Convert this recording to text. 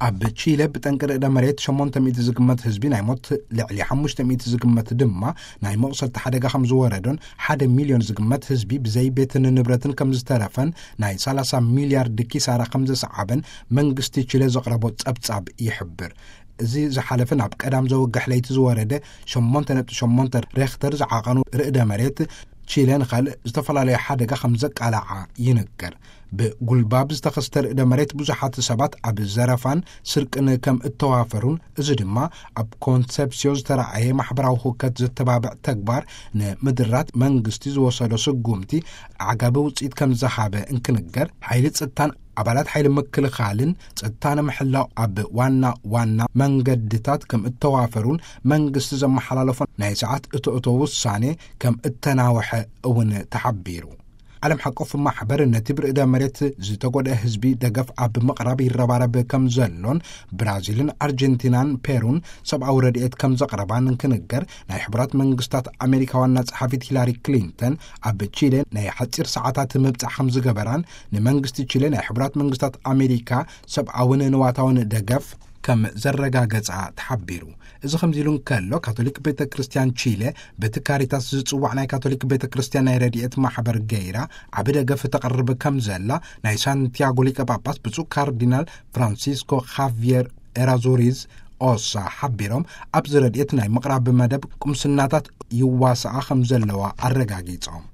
ኣብ ቺለ ብጠንቂ ርዕደ መሬት ሸሞንተ ሚእቲ ዝግመት ህዝቢ ናይ ሞት፣ ልዕሊ ሓሙሽተ ሚእቲ ዝግመት ድማ ናይ መቑሰልቲ ሓደጋ ከም ዝወረዶን ሓደ ሚልዮን ዝግመት ህዝቢ ብዘይ ቤትን ንብረትን ከም ዝተረፈን ናይ ሰላሳ ሚልያርድ ኪሳራ ከም ዘሰዓበን መንግስቲ ቺለ ዘቕረቦ ጸብጻብ ይሕብር። እዚ ዝሓለፈ ናብ ቀዳም ዘወግሕ ለይቲ ዝወረደ ሸሞንተ ነጥቢ ሸሞንተ ሬክተር ዝዓቐኑ ርዕደ መሬት ቺለ ንኻልእ ዝተፈላለዩ ሓደጋ ከም ዘቃልዓ ይንገር። ብጉልባብ ዝተኸስተ ርዕደ መሬት ብዙሓት ሰባት ኣብ ዘረፋን ስርቅን ከም እተዋፈሩን፣ እዚ ድማ ኣብ ኮንሰፕሲዮ ዝተረኣየ ማሕበራዊ ህውከት ዘተባብዕ ተግባር ንምድራት መንግስቲ ዝወሰዶ ስጉምቲ ኣዕጋቢ ውፅኢት ከም ዝሃበ እንክንገር፣ ሓይሊ ጸጥታን ኣባላት ሓይሊ ምክልኻልን ጸጥታ ንምሕላው ኣብ ዋና ዋና መንገድታት ከም እተዋፈሩን መንግስቲ ዘመሓላለፎ ናይ ሰዓት እቶ እቶ ውሳኔ ከም እተናወሐ እውን ተሓቢሩ። ዓለም ሓቆፍ ማሕበር ነቲ ብርዕደ መሬት ዝተጎድአ ህዝቢ ደገፍ ኣብ ምቕራብ ይረባረብ ከም ዘሎን፣ ብራዚልን ኣርጀንቲናን ፔሩን ሰብኣዊ ረድኤት ከም ዘቕረባን እንክንገር፣ ናይ ሕቡራት መንግስታት ኣሜሪካ ዋና ጸሓፊት ሂላሪ ክሊንተን ኣብ ቺሌ ናይ ሓጺር ሰዓታት ምብጻሕ ከም ዝገበራን፣ ንመንግስቲ ቺሌ ናይ ሕቡራት መንግስታት ኣሜሪካ ሰብኣውን ንዋታውን ደገፍ ከም ዘረጋገጻ ተሓቢሩ። እዚ ከምዚ ኢሉ እንከሎ፣ ካቶሊክ ቤተ ክርስቲያን ቺለ በቲ ካሪታስ ዝጽዋዕ ናይ ካቶሊክ ቤተ ክርስቲያን ናይ ረድኤት ማሕበር ገይራ ዓቢ ደገፍ ተቕርብ ከም ዘላ ናይ ሳንቲያጎ ሊቀ ጳጳስ ብፁዕ ካርዲናል ፍራንሲስኮ ኻቪየር ኤራዙሪዝ ኦሳ ሓቢሮም፣ ኣብዚ ረድኤት ናይ ምቕራብ መደብ ቁምስናታት ይዋስኣ ከም ዘለዋ ኣረጋጊጾም።